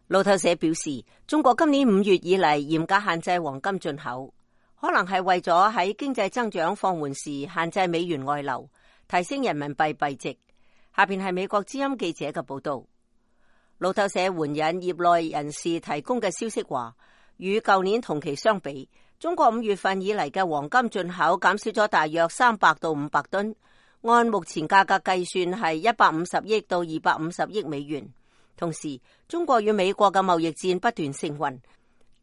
路透社表示，中國今年5月以嚟嚴格限制黃金進口，可能係為咗喺經濟增長放緩時限制美元外流，提升人民幣幣值。下邊係美國之音記者嘅報道。路透社援引業內人士提供嘅消息話，與舊年同期相比，中國5月份以嚟嘅黃金進口減少咗大約300到500噸，按目前價格計算係150億到250億美元。同時，中國與美國嘅貿易戰不斷升溫，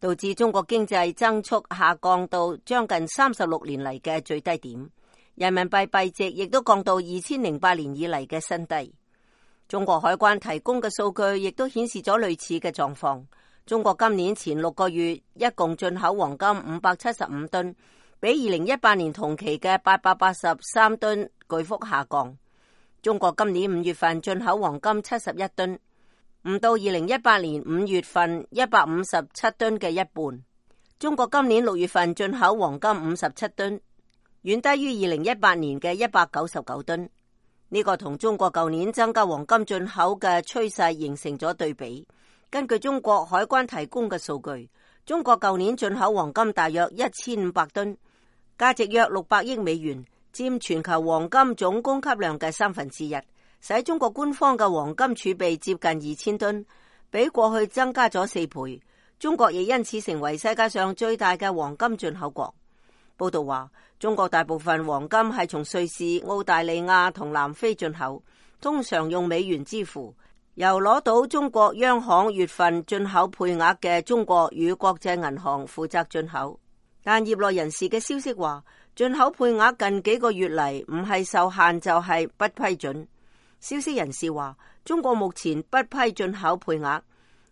導致中國經濟增速下降到將近36年嚟嘅最低點，人民幣幣值亦都降到2008年以嚟嘅新低。中國海關提供嘅數據亦都顯示咗類似嘅狀況。中國今年前6個月一共進口黃金575噸，比2018年同期嘅883噸巨幅下降。中國今年5月份進口黃金71噸，唔到2018年5月份157噸嘅一半。中國今年6月份進口黃金57噸，遠低於2018年嘅199噸。呢個同中國舊年增加黃金進口嘅趨勢形成咗對比。根據中國海關提供嘅數據，中國舊年進口黃金大約1500噸，價值約600億美元，佔全球黃金總供給量嘅1/3，使中國官方嘅黃金儲備接近2000噸，比過去增加咗4倍。中國亦因此成為世界上最大嘅黃金進口國。報道話，中國大部分黃金係從瑞士、澳大利亞同南非進口，通常用美元支付，由攞到中國央行月份進口配額嘅中國與國際銀行負責進口。但業內人士嘅消息話，進口配額近幾個月嚟唔係受限就係不批准。消息人士話，中國目前不批進口配額，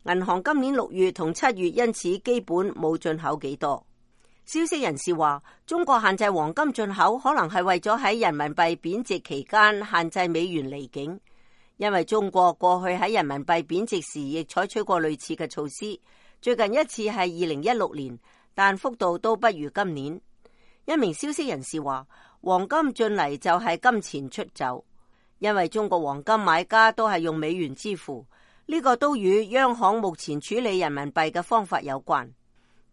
銀行今年6月同7月因此基本冇進口幾多。消息人士話，中國限制黃金進口可能係為咗喺人民幣貶值期間限制美元離境，因為中國過去喺人民幣貶值時亦採取過類似嘅措施，最近一次係2016年，但幅度都不如今年。一名消息人士話，黃金進嚟就係金錢出走，因為中國黃金買家都係用美元支付，呢個都與央行目前處理人民幣嘅方法有關。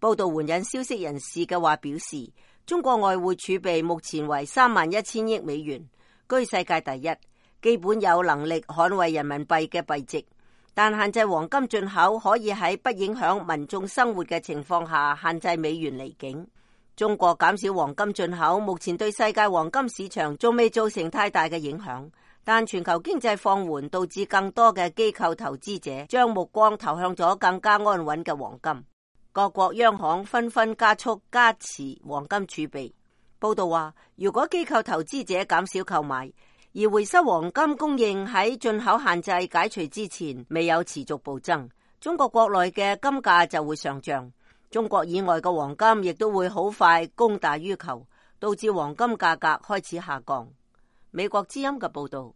報道援引消息人士嘅話表示，中國外匯儲備目前為31000億美元，居世界第一，基本有能力捍衛人民幣嘅幣值。但限制黃金進口可以喺不影響民眾生活嘅情況下限制美元離境。中國減少黃金進口，目前對世界黃金市場仲未造成太大嘅影響，但全球經濟放緩導致更多嘅機構投資者將目光投向咗更加安穩嘅黃金。各國央行紛紛加速加持黃金儲備。報道話，如果機構投資者減少購買，而回收黃金供應喺進口限制解除之前未有持續暴增，中國國內嘅金價就會上漲，中國以外嘅黃金亦都會好快供大於求，導致黃金價格開始下降。美國之音嘅報道。